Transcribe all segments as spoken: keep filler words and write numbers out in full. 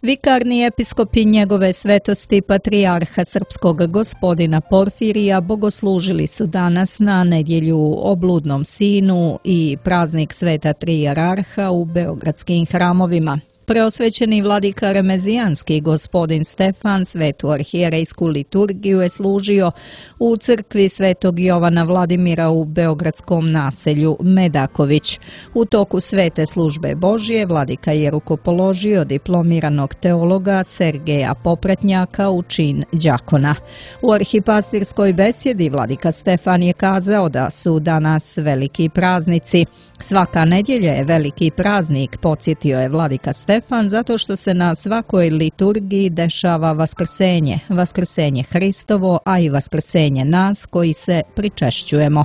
Vikarni episkop i njegove svetosti patrijarha srpskog gospodina Porfirija bogoslužili su danas na nedjelju o bludnom sinu i praznik sveta tri jararha u beogradskim hramovima. Preosvećeni vladika Remezijanski gospodin Stefan svetu arhijerejsku liturgiju je služio u crkvi svetog Jovana Vladimira u beogradskom naselju Medaković. U toku svete službe Božije vladika je rukopoložio diplomiranog teologa Sergeja Popratnjaka u čin đakona. U arhipastirskoj besjedi vladika Stefan je kazao da su danas veliki praznici. Svaka nedjelja je veliki praznik, podsjetio je vladika Stefan, zato što se na svakoj liturgiji dešava vaskrsenje, vaskrsenje Hristovo, a i vaskrsenje nas koji se pričešćujemo.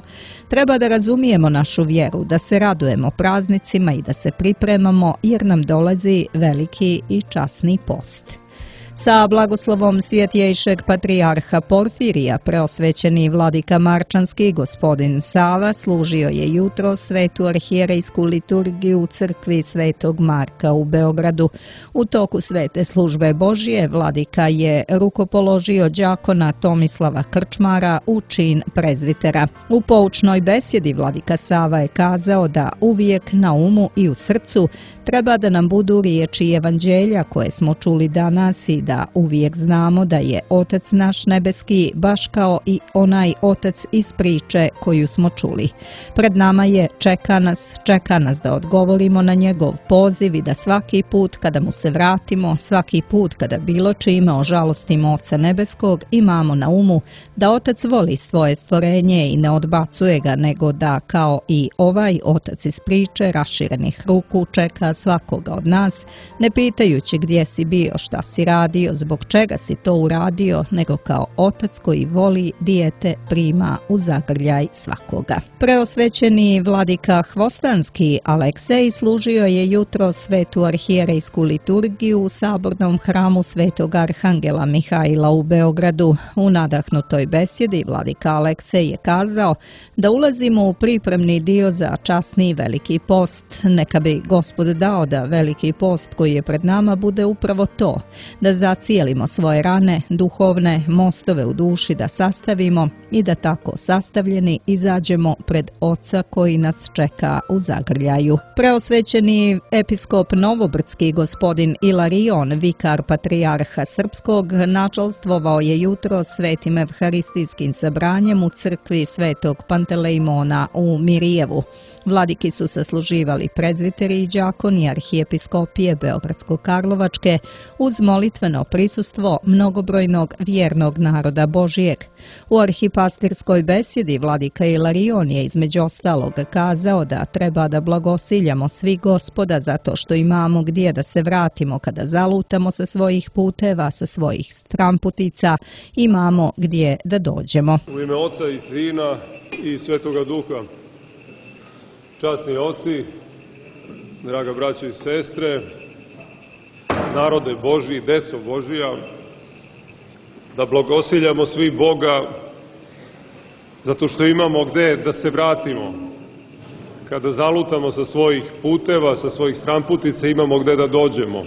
Treba da razumijemo našu vjeru, da se radujemo praznicima i da se pripremamo jer nam dolazi veliki i časni post. Sa blagoslovom svjetjejšeg patrijarha Porfirija preosvećeni vladika Marčanski gospodin Sava služio je jutro svetu arhijerejsku liturgiju u crkvi svetog Marka u Beogradu. U toku svete službe Božije vladika je rukopoložio đakona Tomislava Krčmara u čin prezvitera. U poučnoj besjedi vladika Sava je kazao da uvijek na umu i u srcu treba da nam budu riječi evanđelja koje smo čuli danas i da uvijek znamo da je Otac naš nebeski baš kao i onaj Otac iz priče koju smo čuli. Pred nama je, čeka nas, čeka nas da odgovorimo na njegov poziv i da svaki put kada mu se vratimo, svaki put kada bilo čime ožalostimo Oca nebeskog, imamo na umu da Otac voli svoje stvorenje i ne odbacuje ga, nego da kao i ovaj Otac iz priče raširenih ruku čeka svakoga od nas, ne pitajući gdje si bio, šta si radio, zbog čega si to uradio, nego kao Otac koji voli dijete prima u zagrljaj svakoga. Preosvećeni vladika Hvostanski Aleksej služio je jutro svetu arhijerejsku liturgiju u sabornom hramu svetog arhangela Mihajla u Beogradu. U nadahnutoj besjedi vladika Aleksej je kazao da ulazimo u pripremni dio za časni veliki post. Neka bi Gospod dao da veliki post koji je pred nama bude upravo to, da zacijelimo svoje rane, duhovne mostove u duši da sastavimo i da tako sastavljeni izađemo pred Oca koji nas čeka u zagrljaju. Preosvećeni episkop Novobrdski gospodin Ilarion, vikar patrijarha srpskog, načalstvovao je jutro svetim evharistijskim sabranjem u crkvi svetog Pantelejmona u Mirijevu. Vladiki su sasluživali prezviteri i đakoni arhijepiskopije Beogradsko-Karlovačke uz molitveno prisustvo mnogobrojnog vjernog naroda Božijeg. U arhipastirskoj besjedi vladika Ilarion je između ostalog kazao da treba da blagosiljamo svi Gospoda zato što imamo gdje da se vratimo kada zalutamo sa svojih puteva, sa svojih stramputica, imamo gdje da dođemo. U ime Oca i Sina i Svetoga Duha, časni oci, draga braćo i sestre, narode Božji, deco Božija, da blagosiljamo svi Boga zato što imamo gde da se vratimo. Kada zalutamo sa svojih puteva, sa svojih stramputica, imamo gde da dođemo.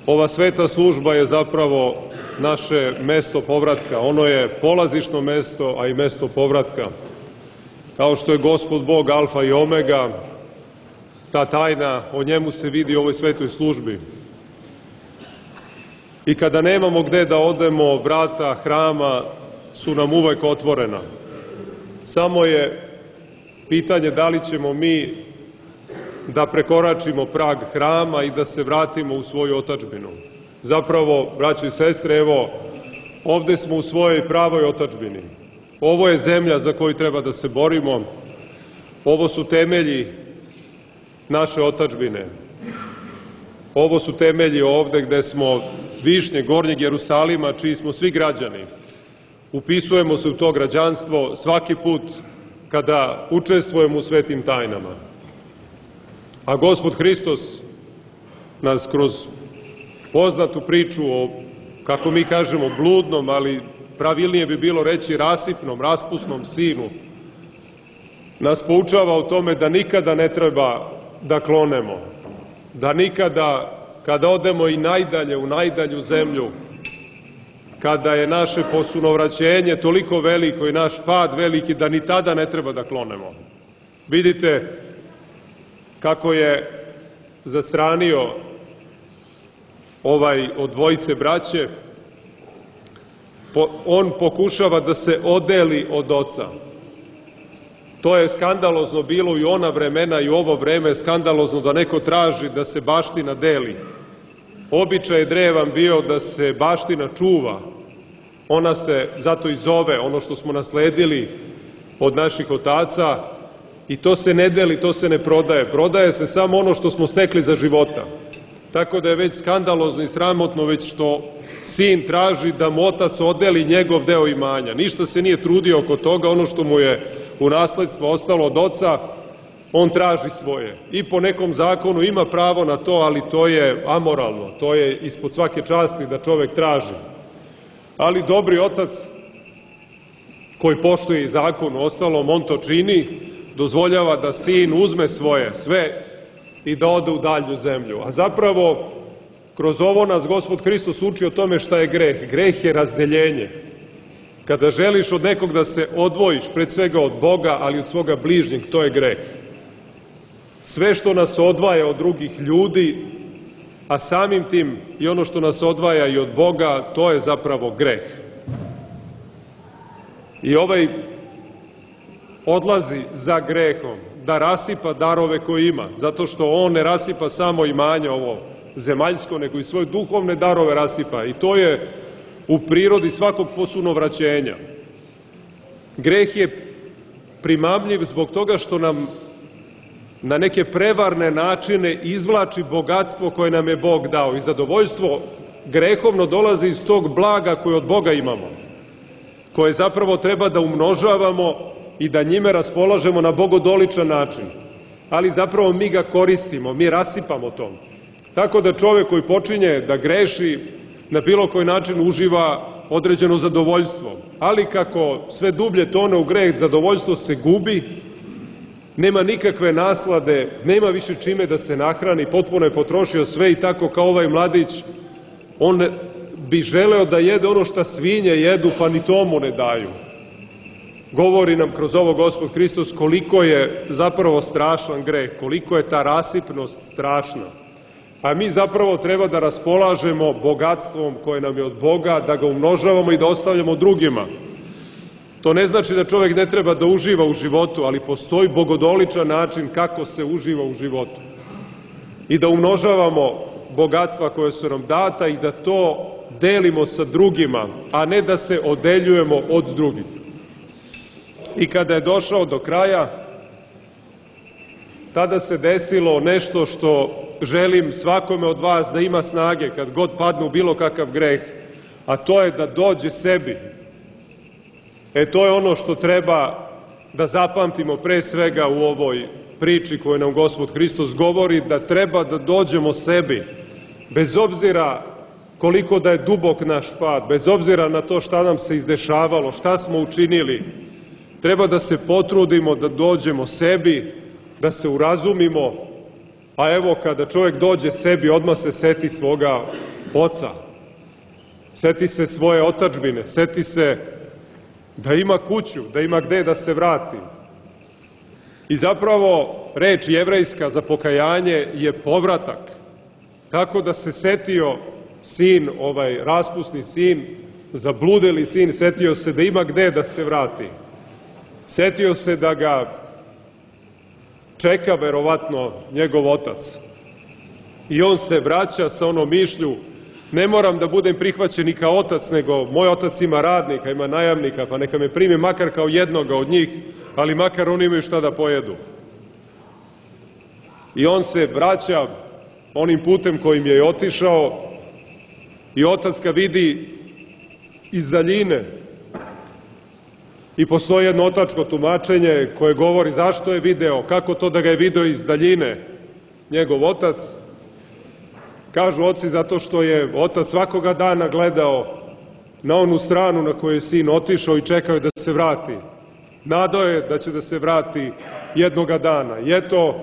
Ova sveta služba je zapravo naše mesto povratka. Ono je polazišno mesto, a i mesto povratka. Kao što je Gospod Bog alfa i omega, ta tajna, o njemu se vidi u ovoj svetoj službi. I kada nemamo gde da odemo, vrata hrama su nam uvek otvorena. Samo je pitanje da li ćemo mi da prekoračimo prag hrama i da se vratimo u svoju otadžbinu. Zapravo, braćo i sestre, evo, ovde smo u svojoj pravoj otadžbini. Ovo je zemlja za koju treba da se borimo. Ovo su temelji naše otadžbine. Ovo su temelji ovde gde smo višnje Gornjeg Jerusalima, čiji smo svi građani. Upisujemo se u to građanstvo svaki put kada učestvujemo u svetim tajnama. A Gospod Hristos nas kroz poznatu priču o, kako mi kažemo, bludnom, ali pravilnije bi bilo reći rasipnom, raspusnom sinu, nas poučava o tome da nikada ne treba da klonemo, da nikada kada odemo i najdalje, u najdalju zemlju, kada je naše posunovraćenje toliko veliko i naš pad veliki da ni tada ne treba da klonemo. Vidite kako je zastranio ovaj od dvojice braće, on pokušava da se odeli od oca. To je skandalozno bilo i ona vremena i ovo vreme je skandalozno da neko traži da se baština deli. Običaj je drevan bio da se baština čuva. Ona se zato i zove, ono što smo nasledili od naših otaca, i to se ne deli, to se ne prodaje. Prodaje se samo ono što smo stekli za života. Tako da je već skandalozno i sramotno već što sin traži da mu otac odeli njegov deo imanja. Ništa se nije trudio oko toga, ono što mu je u nasledstvo ostalo od oca, on traži svoje. I po nekom zakonu ima pravo na to, ali to je amoralno, to je ispod svake časti da čovek traži. Ali dobri otac, koji poštuje i zakon u ostalom, on to čini, dozvoljava da sin uzme svoje sve i da ode u dalju zemlju. A zapravo, kroz ovo nas Gospod Hristos uči o tome šta je greh. Greh je razdeljenje. Kada želiš od nekog da se odvojiš, pred svega od Boga, ali od svoga bližnjeg, to je greh. Sve što nas odvaja od drugih ljudi, a samim tim i ono što nas odvaja i od Boga, to je zapravo greh. I ovaj odlazi za grehom da rasipa darove koje ima, zato što on ne rasipa samo imanje ovo zemaljsko, nego i svoje duhovne darove rasipa. I to je u prirodi svakog posunovraćenja. Greh je primamljiv zbog toga što nam na neke prevarne načine izvlači bogatstvo koje nam je Bog dao. I zadovoljstvo grehovno dolazi iz tog blaga koje od Boga imamo, koje zapravo treba da umnožavamo i da njime raspolažemo na bogodoličan način. Ali zapravo mi ga koristimo, mi rasipamo to. Tako da čovek koji počinje da greši, na bilo koji način uživa određeno zadovoljstvo. Ali kako sve dublje tone u greh, zadovoljstvo se gubi, nema nikakve naslade, nema više čime da se nahrani, potpuno je potrošio sve i tako kao ovaj mladić, on bi želeo da jede ono što svinje jedu, pa ni tomu ne daju. Govori nam kroz ovo Gospod Hristos koliko je zapravo strašan greh, koliko je ta rasipnost strašna. A mi zapravo treba da raspolažemo bogatstvom koje nam je od Boga, da ga umnožavamo i da ostavljamo drugima. To ne znači da čovek ne treba da uživa u životu, ali postoji bogodoličan način kako se uživa u životu. I da umnožavamo bogatstva koje su nam data i da to delimo sa drugima, a ne da se odeljujemo od drugih. I kada je došao do kraja, tada se desilo nešto što želim svakome od vas da ima snage kad god padne u bilo kakav greh, a to je da dođe sebi. E to je ono što treba da zapamtimo pre svega u ovoj priči koju nam Gospod Hristos govori, da treba da dođemo sebi, bez obzira koliko da je dubok naš pad, bez obzira na to šta nam se izdešavalo, šta smo učinili, treba da se potrudimo da dođemo sebi, da se urazumimo, a evo kada čovjek dođe sebi, odmah se seti svoga oca, seti se svoje otadžbine, seti se da ima kuću, da ima gde da se vrati. I zapravo reč jevrejska za pokajanje je povratak. Tako da se setio sin, ovaj raspusni sin, zabludeli sin, setio se da ima gde da se vrati. Setio se da ga čeka verovatno njegov otac. I on se vraća sa onom mišlju, ne moram da budem prihvaćen i kao otac, nego moj otac ima radnika, ima najamnika, pa neka me primi makar kao jednoga od njih, ali makar oni imaju šta da pojedu. I on se vraća onim putem kojim je otišao i otac ga vidi iz daljine. I postoji jedno otačko tumačenje koje govori zašto je video, kako to da ga je video iz daljine njegov otac. Kažu oci zato što je otac svakoga dana gledao na onu stranu na koju je sin otišao i čekao je da se vrati. Nadao je da će da se vrati jednoga dana. I eto,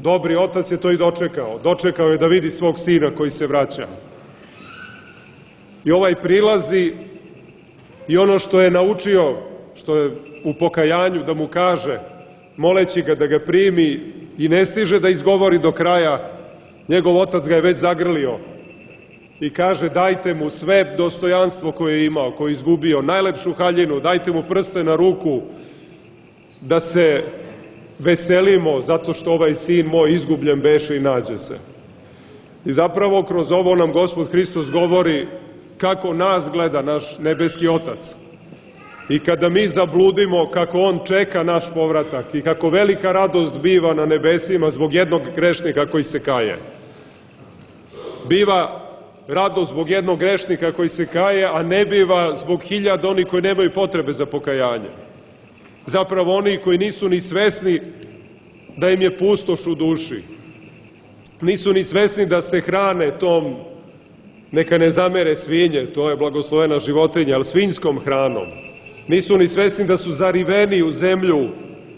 dobri otac je to i dočekao. Dočekao je da vidi svog sina koji se vraća. I ovaj prilazi i ono što je naučio, što je u pokajanju da mu kaže, moleći ga da ga primi i ne stiže da izgovori do kraja, njegov otac ga je već zagrlio i kaže dajte mu sve dostojanstvo koje je imao, koje je izgubio, najlepšu haljinu, dajte mu prste na ruku, da se veselimo zato što ovaj sin moj izgubljen beše i nađe se. I zapravo kroz ovo nam Gospod Hristos govori kako nas gleda naš nebeski otac. I kada mi zabludimo kako on čeka naš povratak i kako velika radost biva na nebesima zbog jednog grešnika koji se kaje. Biva radost zbog jednog grešnika koji se kaje, a ne biva zbog hiljada onih koji nemaju potrebe za pokajanje. Zapravo oni koji nisu ni svesni da im je pustoš u duši. Nisu ni svesni da se hrane tom, neka ne zamere svinje, to je blagoslovena životinja, ali svinjskom hranom. Nisu ni svesni da su zariveni u zemlju,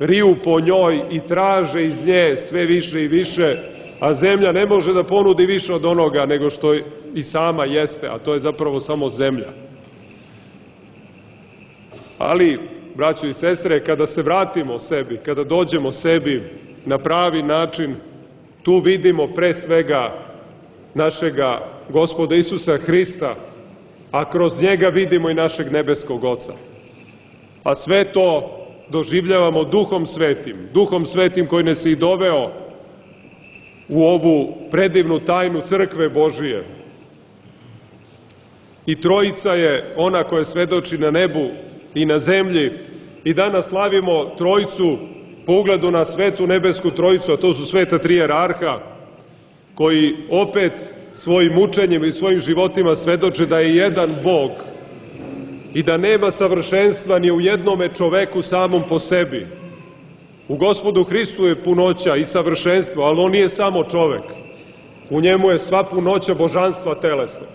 riju po njoj i traže iz nje sve više i više, a zemlja ne može da ponudi više od onoga nego što i sama jeste, a to je zapravo samo zemlja. Ali, braćo i sestre, kada se vratimo sebi, kada dođemo sebi na pravi način, tu vidimo pre svega našega Gospoda Isusa Hrista, a kroz njega vidimo i našeg nebeskog Oca. A sve to doživljavamo Duhom Svetim, Duhom Svetim koji nas je i doveo u ovu predivnu tajnu Crkve Božije. I Trojica je ona koja svedoči na nebu i na zemlji i danas slavimo Trojicu po ugledu na Svetu Nebesku Trojicu, a to su sveta tri jerarha, koji opet svojim učenjem i svojim životima svedoče da je jedan Bog i da nema savršenstva ni u jednome čoveku samom po sebi. U Gospodu Hristu je punoća i savršenstvo, ali on nije samo čovek. U njemu je sva punoća božanstva telesno.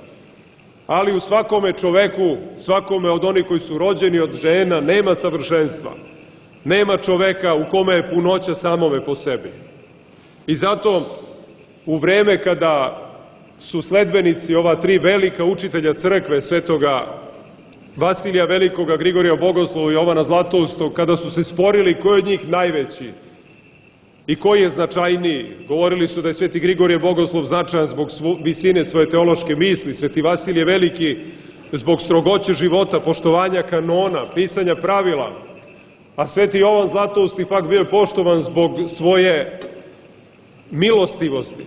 Ali u svakome čoveku, svakome od onih koji su rođeni od žena, nema savršenstva. Nema čoveka u kome je punoća samome po sebi. I zato u vreme kada su sledbenici ova tri velika učitelja crkve, svetoga Vasilija Velikoga, Grigorija Bogoslova i Jovana Zlatoustog, kada su se sporili ko je od njih najveći i koji je značajniji, govorili su da je sveti Grigorije Bogoslov značajan zbog visine svoje teološke misli, sveti Vasilije Veliki zbog strogoće života, poštovanja kanona, pisanja pravila, a sveti Jovan Zlatoust ipak bio poštovan zbog svoje milostivosti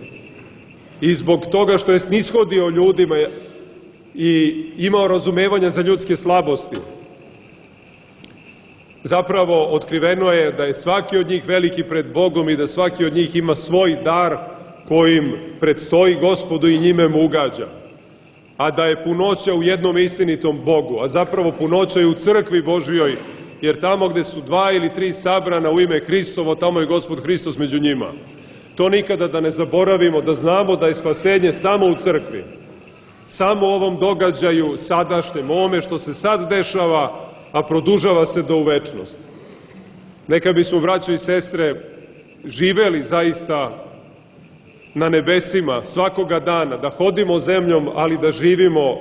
i zbog toga što je snishodio ljudima i imao razumevanja za ljudske slabosti. Zapravo, otkriveno je da je svaki od njih veliki pred Bogom i da svaki od njih ima svoj dar kojim predstoji Gospodu i njime mu ugađa. A da je punoća u jednom istinitom Bogu, a zapravo punoća je u crkvi Božijoj, jer tamo gde su dva ili tri sabrana u ime Hristovo, tamo je Gospod Hristos među njima. To nikada da ne zaboravimo, da znamo da je spasenje samo u crkvi. Samo u ovom događaju sadašnjem, ovome što se sad dešava, a produžava se do u večnost. Neka bismo, braćo i sestre, živeli zaista na nebesima svakoga dana, da hodimo zemljom, ali da živimo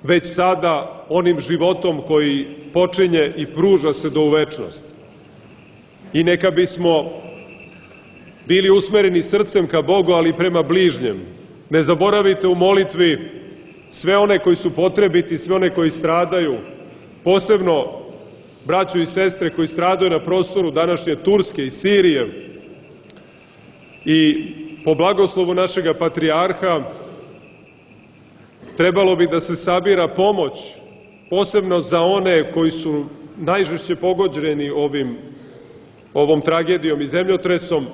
već sada onim životom koji počinje i pruža se do u večnost. I neka bismo bili usmereni srcem ka Bogu, ali i prema bližnjem. Ne zaboravite u molitvi sve one koji su potrebiti, sve one koji stradaju, posebno braćo i sestre koji stradaju na prostoru današnje Turske i Sirije. I po blagoslovu našega patrijarha trebalo bi da se sabira pomoć, posebno za one koji su najžešće pogođeni ovim, ovom tragedijom i zemljotresom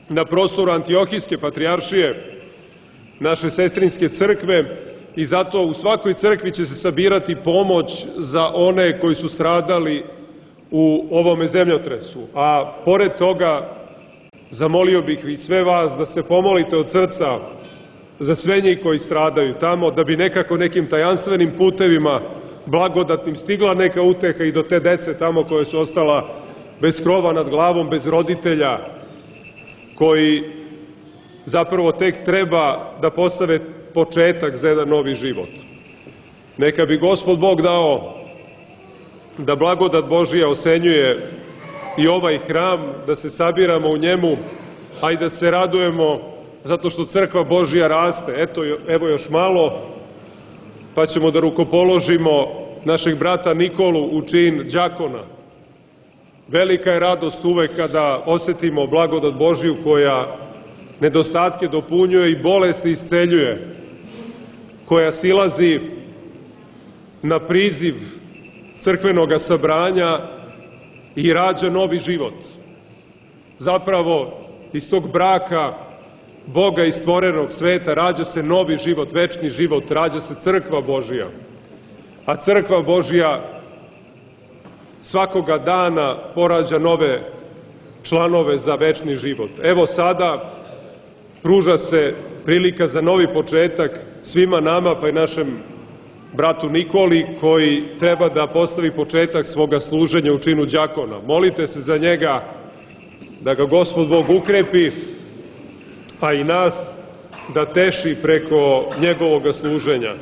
na prostoru Antiohijske patrijaršije, naše sestrinske crkve, i zato u svakoj crkvi će se sabirati pomoć za one koji su stradali u ovome zemljotresu. A pored toga, zamolio bih i sve vas da se pomolite od srca za sve njih koji stradaju tamo, da bi nekako nekim tajanstvenim putevima blagodatnim stigla neka uteha i do te dece tamo koje su ostala bez krova nad glavom, bez roditelja, koji zapravo tek treba da postave početak za jedan novi život. Neka bi Gospod Bog dao da blagodat Božija osenjuje i ovaj hram, da se sabiramo u njemu, a i da se radujemo zato što crkva Božija raste. Eto, evo još malo, pa ćemo da rukopoložimo našeg brata Nikolu u čin đakona. Velika je radost uvek kada osetimo blagodat Božiju koja nedostatke dopunjuje i bolesti isceljuje, koja silazi na priziv crkvenog sabranja i rađa novi život. Zapravo, iz tog braka Boga i stvorenog sveta rađa se novi život, večni život, rađa se crkva Božija. A crkva Božija svakoga dana porađa nove članove za večni život. Evo sada pruža se prilika za novi početak svima nama, pa i našem bratu Nikoli, koji treba da postavi početak svoga služenja u činu đakona. Molite se za njega da ga Gospod Bog ukrepi, a i nas da teši preko njegovog služenja.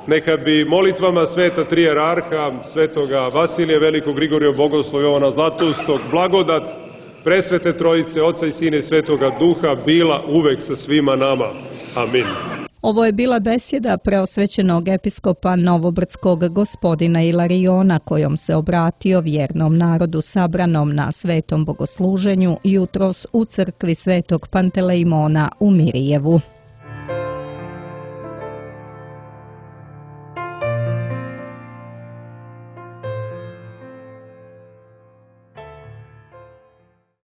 Neka bi molitvama sveta tri jerarha, svetoga Vasilija Velikog, Grigorija Bogoslova, Jovana Zlatustog, blagodat presvete Trojice, Oca i Sina i Svetoga Duha bila uvek sa svima nama. Amin. Ovo je bila besjeda preosvećenog episkopa Novobrdskog gospodina Ilariona, kojom se obratio vjernom narodu sabranom na svetom bogosluženju jutros u crkvi svetog Pantelejmona u Mirijevu.